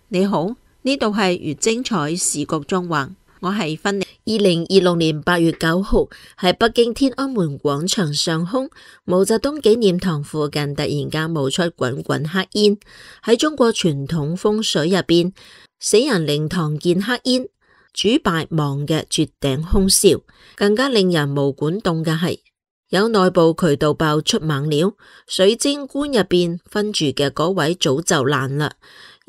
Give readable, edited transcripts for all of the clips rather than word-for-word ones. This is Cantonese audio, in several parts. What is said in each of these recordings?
你好，呢度係越精彩時局中環，我係芬妮。2026年8月9號，喺北京天安門廣場上空，毛澤東紀念堂附近突然間冒出滾滾黑煙。喺中國傳統風水入邊，死人靈堂見黑煙，主敗亡嘅絕頂凶兆。更加令人毛管戙嘅係，有內部渠道爆出猛料，水晶棺入邊分住嘅嗰位早就爛啦。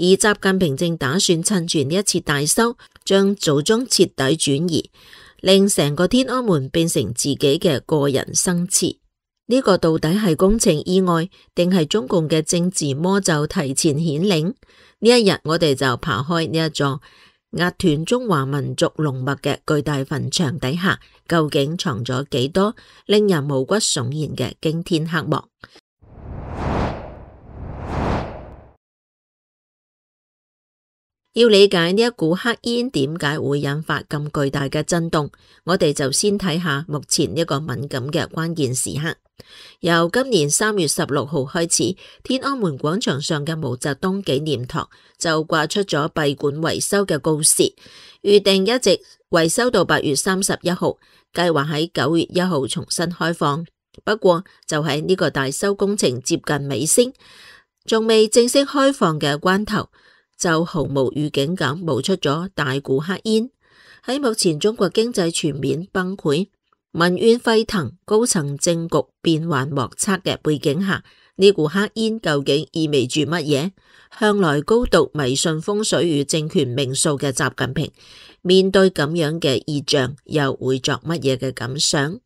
而習近平正打算趁住呢一次大修，將祖宗徹底轉移，令成個天安門變成自己嘅個人生祠。呢個到底係工程意外，定係中共嘅政治魔咒提前顯靈？呢一日我哋就扒開呢一座壓斷中華民族龍脈嘅巨大墳場底下，究竟藏咗幾多令人毛骨悚然嘅驚天黑幕？要理解呢一股黑煙點解會引發咁巨大嘅震動，我哋就先睇下目前呢個敏感嘅關鍵時刻。由今年3月16號開始，天安門廣場上嘅毛澤東紀念堂就掛出咗閉館維修嘅告示，預定一直維修到8月31號，計劃喺9月1號重新開放。不過就喺呢個大修工程接近尾聲，仲未正式開放嘅關頭，就毫無預警咁冒出咗大股黑煙。喺目前中國經濟全面崩潰、民怨沸騰、高層政局變幻莫測嘅背景下，呢股黑煙究竟意味住乜嘢？向來高度迷信風水與政權命數嘅習近平，面對咁樣嘅異象，又會作乜嘢嘅感想？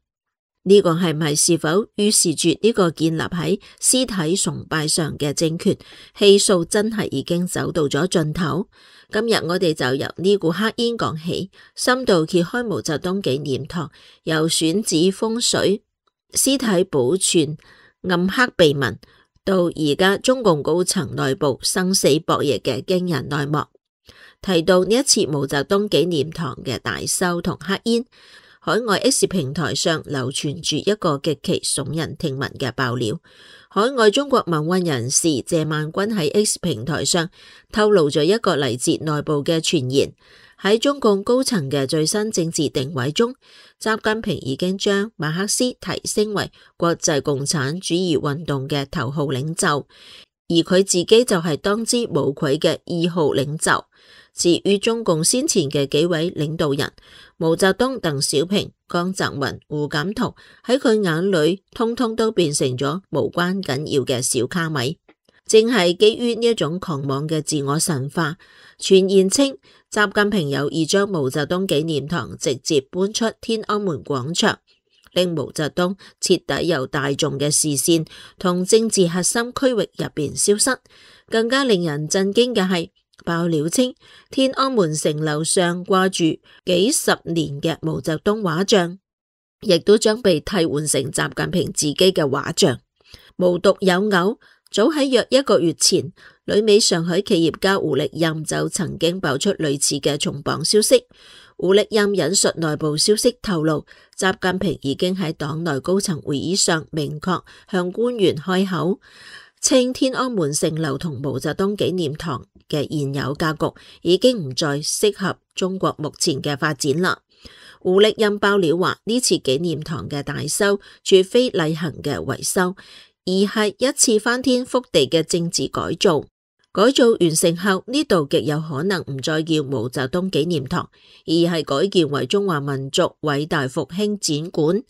呢個係唔係是否預示住呢個建立喺屍體崇拜上嘅政權氣數真係已經走到咗盡頭？今日我哋就由呢股黑煙講起，深度揭開毛澤東紀念堂由選址風水、屍體保存、暗黑秘聞，到而家中共高層內部生死博弈嘅驚人內幕。提到呢一次毛澤東紀念堂嘅大修同黑煙，海外 X 平台上流傳住一個極其聳人聽聞嘅爆料。海外中國民運人士謝萬軍喺 X 平台上透露咗一個嚟自內部嘅傳言，喺中共高層嘅最新政治定位中，習近平已經將馬克思提升為國際共產主義運動嘅頭號領袖，而佢自己就係當之無愧嘅2號領袖。至於中共先前嘅幾位領導人，毛澤東、鄧小平、江澤民、胡錦濤，喺佢眼裏通通都變成咗無關緊要嘅小卡米。正係基於呢一種狂妄嘅自我神化，傳言稱習近平有意將毛澤東紀念堂直接搬出天安門廣場，令毛澤東徹底由大眾嘅視線同政治核心區域入邊消失。更加令人震驚嘅係，爆料稱天安門城樓上掛住幾十年嘅毛澤東畫像，亦都將被替換成習近平自己嘅畫像。無獨有偶，早喺約1個月前，旅美上海企業家胡力任就曾經爆出類似嘅重磅消息。胡力任引述內部消息透露，習近平已經喺黨內高層會議上明確向官員開口，稱天安門城樓同毛澤東紀念堂嘅現有格局已經唔再適合中國目前嘅發展啦。胡力任爆料話，呢次紀念堂嘅大修絕非例行嘅維修，而係一次翻天覆地嘅政治改造。改造完成後，呢度極有可能唔再叫毛澤東紀念堂，而係改建為中華民族偉大復興展館。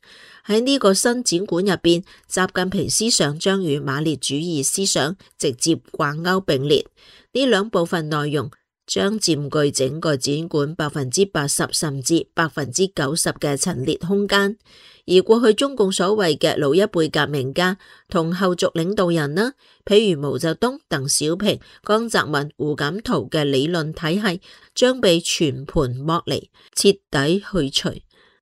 喺呢個新展館入邊，習近平思想將與馬列主義思想直接掛鈎並列，呢兩部分內容將佔據整個展館80%甚至90%嘅陳列空間。而過去中共所謂嘅老一輩革命家同後續領導人呢，譬如毛澤東、鄧小平、江澤民、胡錦濤嘅理論體系將被全盤剝離，徹底去除。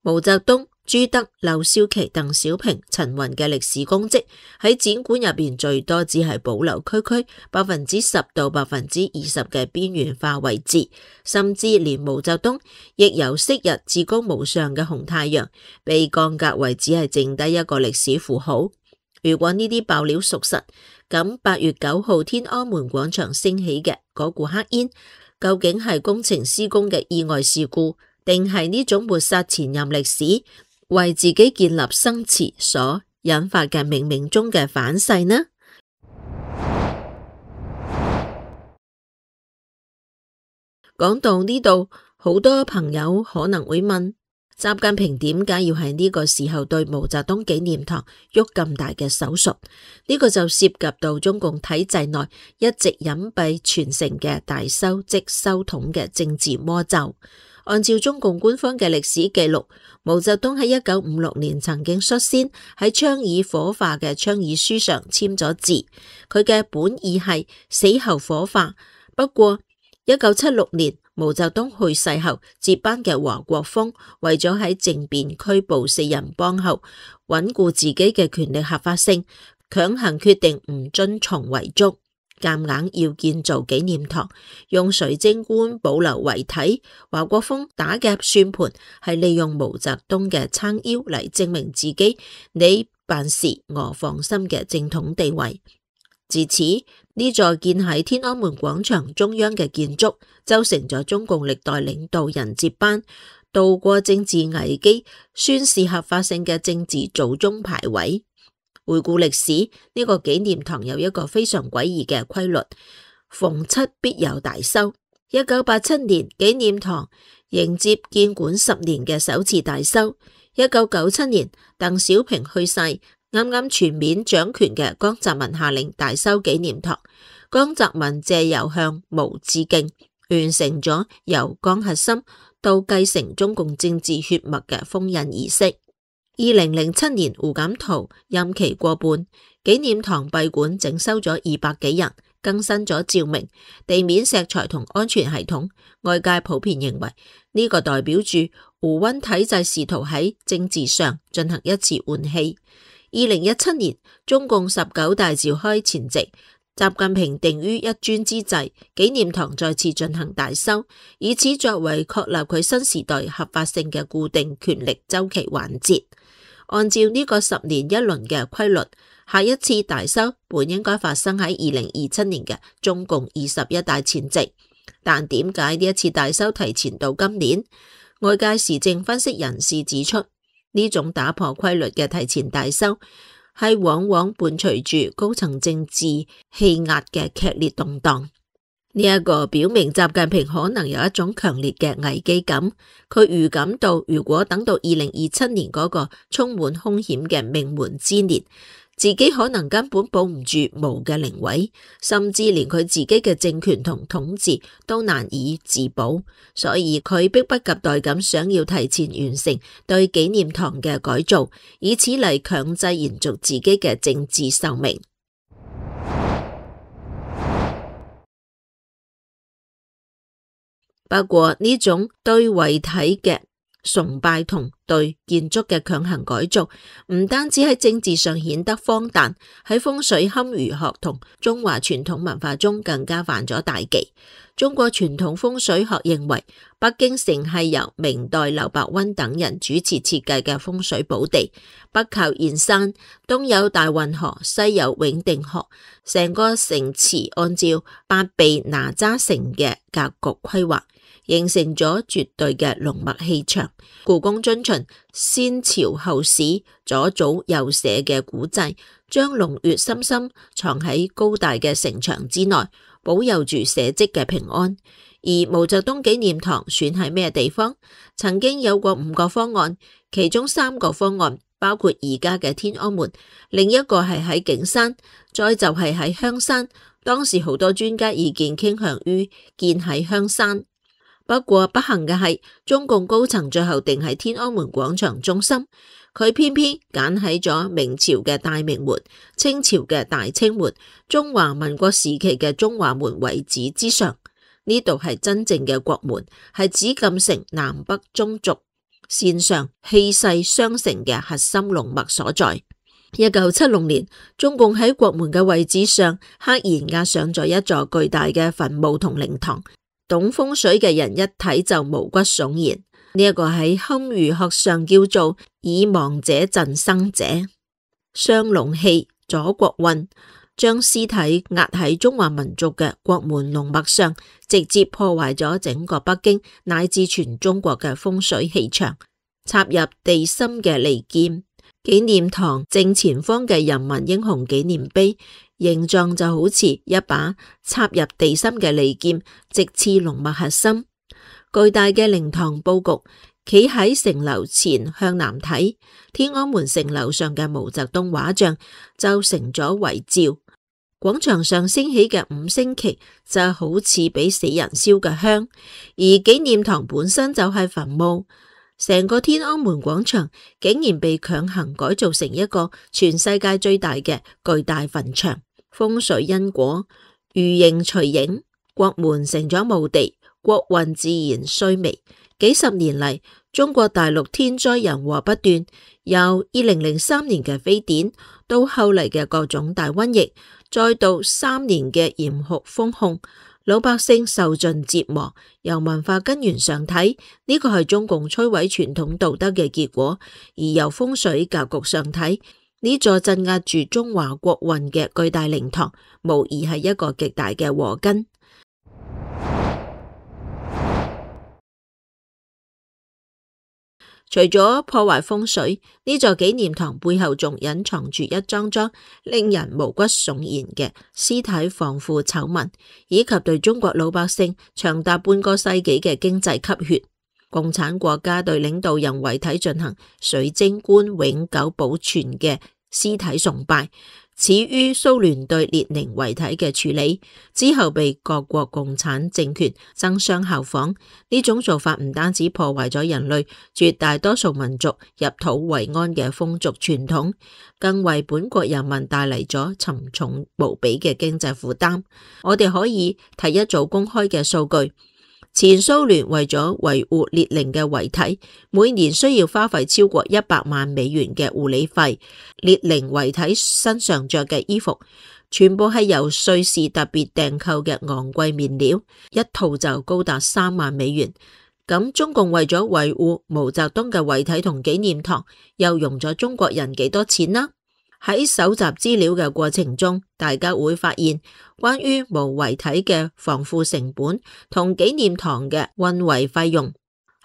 毛澤東、朱德、劉少奇、鄧小平、陳雲嘅歷史功績喺展館入邊最多只係保留區區10%到20%嘅邊緣化位置，甚至連毛澤東亦由昔日至高無上嘅紅太陽被降格為只係剩低一個歷史符號。如果呢啲爆料屬實，咁8月9號天安門廣場升起嘅嗰股黑煙，究竟係工程施工嘅意外事故，定係呢種抹殺前任歷史、為自己建立生詞所引發嘅冥冥中嘅反噬呢？講到呢度，好多朋友可能會問，習近平點解要喺呢個時候對毛澤東紀念堂喐咁大嘅手術？呢個就涉及到中共體制內一直隱蔽傳承嘅大修即修統嘅政治魔咒。按照中共官方嘅歷史記錄，毛澤東喺1956年曾經率先喺倡議火化嘅倡議書上簽咗字，佢嘅本意係死後火化。不過1976年毛澤東去世後，接班嘅華國鋒為咗喺政變拘捕4人幫後，穩固自己嘅權力合法性，強行決定唔遵從遺囑，夾硬要建造紀念堂，用水晶棺保留遺體。華國鋒打嘅算盤係利用毛澤東嘅撐腰嚟證明自己你辦事我放心嘅正統地位。自此，呢座建喺天安門廣場中央嘅建築就成咗中共歷代領導人接班、渡過政治危機、宣示合法性嘅政治祖宗牌位。回顧歷史，呢個紀念堂有一個非常詭異嘅規律，逢七必有大修。1987年，紀念堂迎接建館10年嘅首次大修。1997年，鄧小平去世，啱啱全面掌權嘅江澤民下令大修紀念堂，江澤民借由向毛致敬，完成咗由江核心到繼承中共政治血脈嘅封印儀式。2007年，胡錦濤任期過半，紀念堂閉館整修咗200幾人，更新咗照明、地面石材同安全系統。外界普遍認為呢個代表住胡溫體制試圖喺政治上進行一次換氣。2017年，中共19大召開前夕，習近平定於一尊之際，紀念堂再次進行大修，以此作為確立佢新時代合法性嘅固定權力週期環節。按照呢個10年一輪嘅規律，下一次大修本應該發生喺2027年嘅中共21大前夕，但點解呢一次大修提前到今年？外界時政分析人士指出，呢種打破規律嘅提前大修係往往伴隨住高層政治氣壓嘅劇烈動盪。呢一個表明習近平可能有一種強烈嘅危機感，佢預感到如果等到2027年嗰個充滿兇險嘅命門之年，自己可能根本保唔住毛嘅靈位，甚至連佢自己嘅政權同統治都難以自保，所以佢迫不及待咁想要提前完成對紀念堂嘅改造，以此嚟強制延續自己嘅政治壽命。不過呢種對遺體嘅崇拜同對建築嘅強行改造，唔單止喺政治上顯得荒誕，喺風水堪輿學同中華傳統文化中更加犯咗大忌。中國傳統風水學認為，北京城係由明代劉伯溫等人主持設計嘅風水寶地，北靠燕山，東有大運河，西有永定河，成個城池按照八臂哪吒城嘅格局規劃，形成咗絕對嘅龍脈氣場。故宮遵循先朝後史左祖右社嘅古制，將龍穴深深藏喺高大嘅城牆之內，保佑住社稷嘅平安。而毛澤東紀念堂選喺咩地方？曾經有過5個方案，其中3個方案包括而家嘅天安門，另一個係喺景山，再就係喺香山。當時好多專家意見傾向於建喺香山。不過不幸嘅係，中共高層最後定喺天安門廣場中心，佢偏偏揀喺咗明朝嘅大明門、清朝嘅大清門、中華民國時期嘅中華門位置之上。呢度係真正嘅國門，係紫禁城南北中軸線上氣勢相承嘅核心龍脈所在。1976年，中共喺國門嘅位置上刻意壓上咗一座巨大嘅墳墓同靈堂。懂風水嘅人一睇就毛骨悚然，呢一個喺堪輿學上叫做以亡者鎮生者。雙龍戲左國運，將屍體壓喺中華民族嘅國門龍脈上，直接破壞咗整個北京乃至全中國嘅風水氣場。插入地心嘅利劍，紀念堂正前方嘅人民英雄紀念碑，形狀就好似一把插入地心嘅利劍，直刺龍脈核心。巨大嘅靈堂布局，企喺城樓前向南睇，天安門城樓上嘅毛澤東畫像就成咗遺照。廣場上升起嘅五星旗就好似俾死人燒嘅香，而紀念堂本身就係墳墓。成個天安門廣場竟然被強行改造成一個全世界最大嘅巨大墳場。風水因果，如形隨影，國門成咗墓地，國運自然衰微。幾十年嚟，中國大陸天災人禍不斷，由2003年嘅非典，到後嚟嘅各種大瘟疫，再到3年嘅嚴酷封控，老百姓受盡折磨。由文化根源上睇，呢個係中共摧毀傳統道德嘅結果；而由風水格局上睇，呢座鎮壓住中華國運嘅巨大靈堂，無疑係一個極大嘅禍根。除咗破壞風水，呢座紀念堂背後仲隱藏住一樁樁令人毛骨悚然嘅屍體防腐醜聞，以及對中國老百姓長達半個世紀嘅經濟吸血。共產國家對領導人遺體進行水晶棺永久保存嘅屍體崇拜，始於蘇聯對列寧遺體嘅處理，之後被各國共產政權爭相效仿。呢種做法唔單止破壞咗人類絕大多數民族入土為安嘅風俗傳統，更為本國人民帶嚟咗沉重無比嘅經濟負擔。我哋可以提一組公開嘅數據。前蘇聯為咗維護列寧嘅遺體，每年需要花費超過100萬美元嘅護理費。列寧遺體身上着嘅衣服，全部係由瑞士特別訂購嘅昂貴面料，一套就高達3萬美元。咁中共為咗維護毛澤東嘅遺體同紀念堂，又用咗中國人幾多錢呢？喺搜集資料嘅過程中，大家會發現關於毛遺體嘅防腐成本同紀念堂嘅運維費用，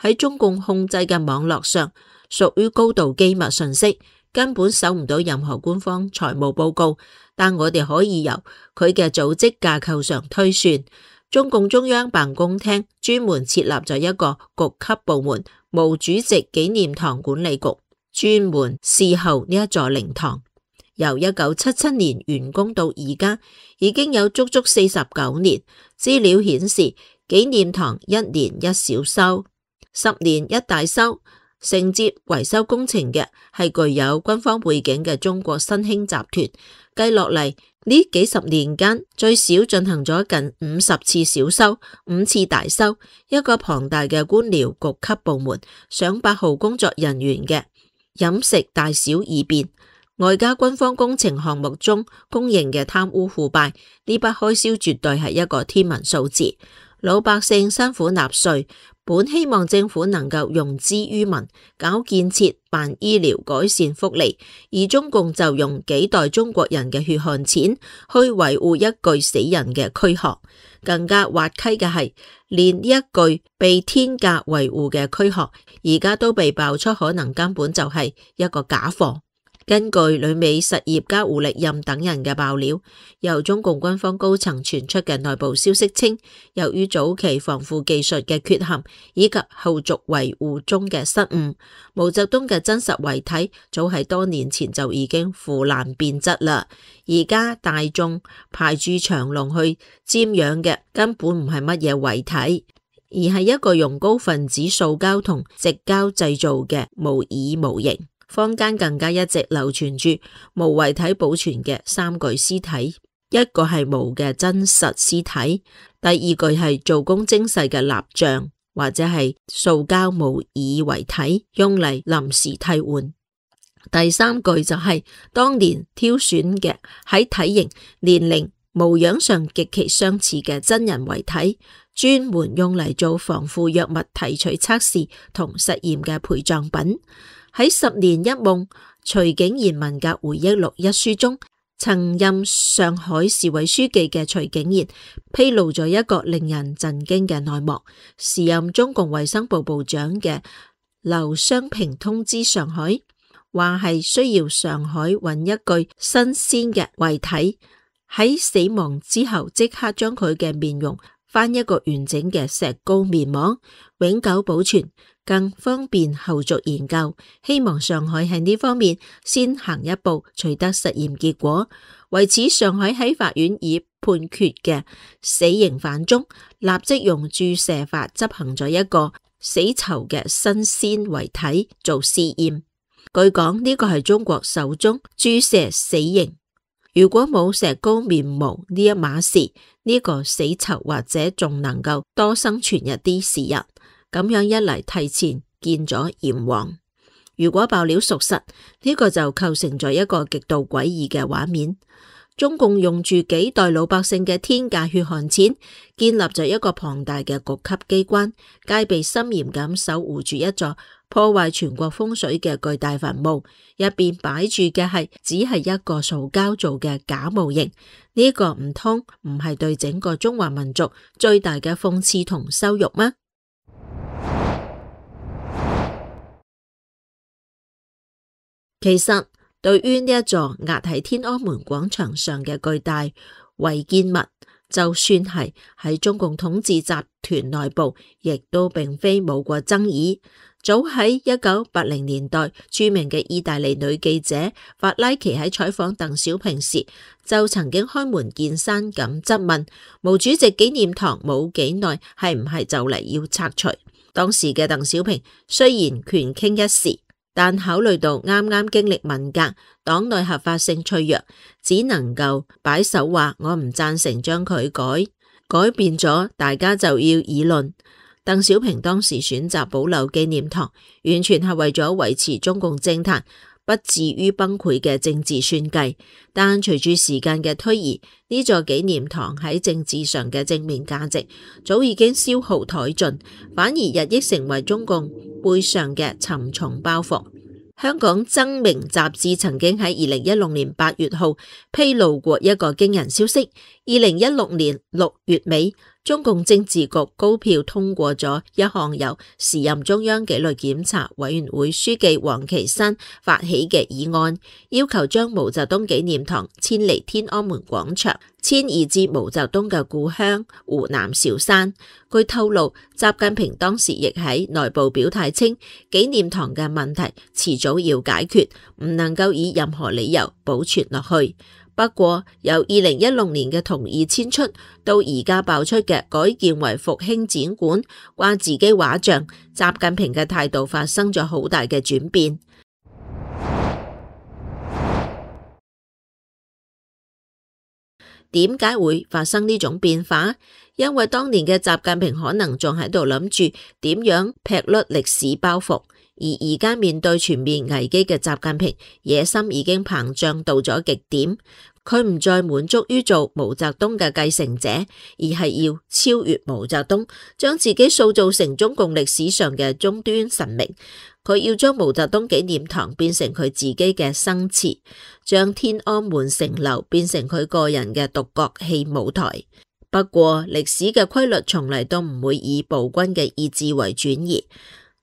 喺中共控制嘅網絡上屬於高度機密信息，根本搜唔到任何官方財務報告。但我哋可以由佢嘅組織架構上推算，中共中央辦公廳專門設立咗一個局級部門——毛主席紀念堂管理局，專門侍候呢一座靈堂。由1977年完工到而家，已經有足足49年。資料顯示，紀念堂1年1小修，10年1大修。承接維修工程嘅係具有軍方背景嘅中國新興集團。計落嚟，呢幾十年間，最少進行咗近50次小修，5次大修。一個龐大嘅官僚局級部門，上百號工作人員嘅飲食大小二便。外加軍方工程項目中公認嘅貪污腐敗，呢筆開銷絕對係一個天文數字。老百姓辛苦納稅，本希望政府能夠用之於民，搞建設、辦醫療、改善福利，而中共就用幾代中國人嘅血汗錢去維護一具死人嘅軀殼。更加滑稽嘅係，連呢一具被天價維護嘅軀殼，而家都被爆出可能根本就係一個假貨。根據旅美實業家胡力任等人嘅爆料，由中共軍方高層傳出嘅內部消息稱，由於早期防腐技術嘅缺陷以及後續維護中嘅失誤，毛澤東嘅真實遺體早喺多年前就已經腐爛變質啦。而家大眾排住長龍去瞻仰嘅根本唔係乜嘢遺體，而係一個用高分子塑膠同矽膠製造嘅模擬模型。坊間更加一直流傳住毛遺體保存嘅3具屍體，一個係毛嘅真實屍體，第二具係做工精細嘅蠟像或者係塑膠模擬遺體，用嚟臨時替換。第三具就係當年挑選嘅喺體型、年齡、模樣上極其相似嘅真人遺體，專門用嚟做防腐藥物提取測試同實驗嘅陪葬品。喺10年一夢，徐景賢文革回憶錄一書中，曾任上海市委書記嘅徐景賢披露咗一個令人震驚嘅內幕。時任中共衛生部部長嘅劉湘平通知上海，話係需要上海揾一具新鮮嘅遺體，喺死亡之後即刻將佢嘅面容翻一個完整嘅石膏面膜，永久保存，更方便後續研究。希望上海喺呢方面先行一步，取得實驗結果。為此，上海喺法院已判決嘅死刑犯中，立即用注射法執行咗一個死囚嘅新鮮遺體做試驗。據講呢個係中國首宗注射死刑。如果冇石膏面膜呢一碼事，呢個死囚或者仲能夠多生存一啲時日。咁樣一嚟，提前見咗閻王。如果爆料屬實，呢個就構成咗一個極度詭異嘅畫面。中共用住幾代老百姓嘅天價血汗錢，建立咗一個龐大嘅局級機關，戒備森嚴咁守護住一座破壞全國風水嘅巨大墳墓，入邊擺住嘅只係一個塑膠做嘅假模型。呢個唔通唔係對整個中華民族最大嘅諷刺同羞辱嗎？其實對於呢一座壓喺天安門廣場上嘅巨大違建物，就算係喺中共統治集團內部，亦都並非冇過爭議。早喺1980年代，著名嘅意大利女記者法拉奇喺採訪鄧小平時，就曾經開門見山咁質問毛主席紀念堂冇幾耐係唔係就嚟要拆除。當時嘅鄧小平雖然權傾一時，但考慮到啱啱經歷文革，黨內合法性脆弱，只能夠擺手話我唔贊成將佢改變咗，大家就要議論。鄧小平當時選擇保留紀念堂，完全係為咗維持中共政壇不至於崩潰嘅政治算計。但隨住時間嘅推移，呢座紀念堂喺政治上嘅正面價值早已經消耗殆盡，反而日益成為中共背上嘅沉重包袱。香港爭鳴雜誌曾經喺2016年8月號披露過一個驚人消息：2016年6月尾，中共政治局高票通過咗一項由時任中央紀律檢查委員會書記王岐山發起嘅議案，要求將毛澤東紀念堂遷離天安門廣場，遷移至毛澤東嘅故鄉湖南韶山。據透露，習近平當時亦喺內部表態稱，紀念堂嘅問題遲早要解決，唔能夠以任何理由保存落去。不過，由2016年嘅同意遷出，到而家爆出嘅改建為復興展館、掛自己畫像，習近平嘅態度發生咗好大嘅轉變。點解會發生呢種變化？因為當年嘅習近平可能仲喺度諗住點樣劈甩歷史包袱，而而家面對全面危機嘅習近平，野心已經膨脹到咗極點。佢唔再滿足於做毛澤東嘅繼承者，而係要超越毛澤東，將自己塑造成中共歷史上嘅終端神明。佢要將毛澤東紀念堂變成佢自己嘅生祠，將天安門城樓變成佢個人嘅獨角戲舞台。不過歷史嘅規律從嚟都唔會以暴君嘅意志為轉移。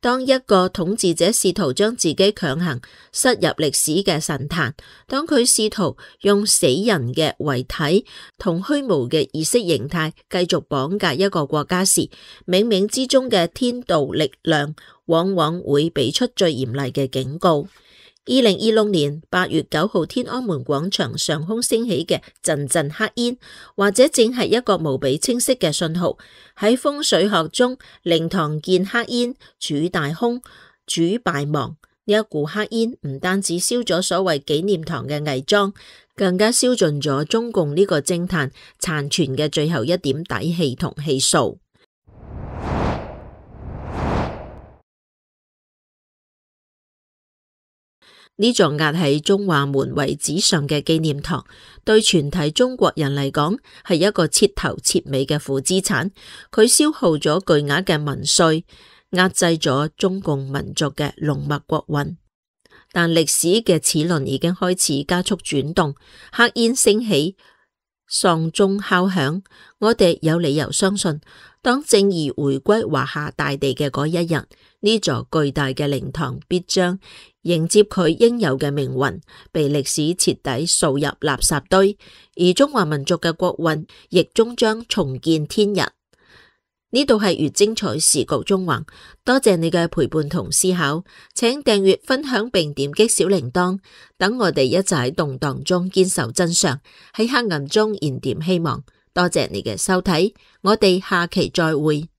當一個統治者試圖將自己強行塞入歷史嘅神壇，當佢試圖用死人嘅遺體同虛無嘅意識形態繼續綁架一個國家時，冥冥之中嘅天道力量往往會俾出最嚴厲嘅警告。2026年8月9號天安門廣場上空升起嘅陣陣黑煙，或者正係一個無比清晰嘅信號。喺風水學中，靈堂見黑煙，主大凶，主敗亡。呢一股黑煙唔單止燒咗所謂紀念堂嘅偽裝，更加燒盡咗中共呢個政壇殘存嘅最後一點底氣同氣數。呢座壓喺中華門遺址上嘅紀念堂，對全體中國人嚟講係一個徹頭徹尾嘅負資產。佢消耗咗巨額嘅民稅，壓制咗中共民族嘅龍脈國運。但歷史嘅齒輪已經開始加速轉動，黑煙升起，喪鐘敲響。我哋有理由相信，當正義回歸華夏大地嘅嗰一日，呢座巨大嘅靈堂必將迎接佢應有嘅命運，被歷史徹底掃入垃圾堆，而中華民族嘅國運亦終將重見天日。呢度係越精彩時局縱橫，多謝你嘅陪伴同思考，請訂閱、分享並點擊小鈴鐺，等我哋一齊喺動盪中堅守真相，喺黑暗中燃點希望。多謝你嘅收睇，我哋下期再會。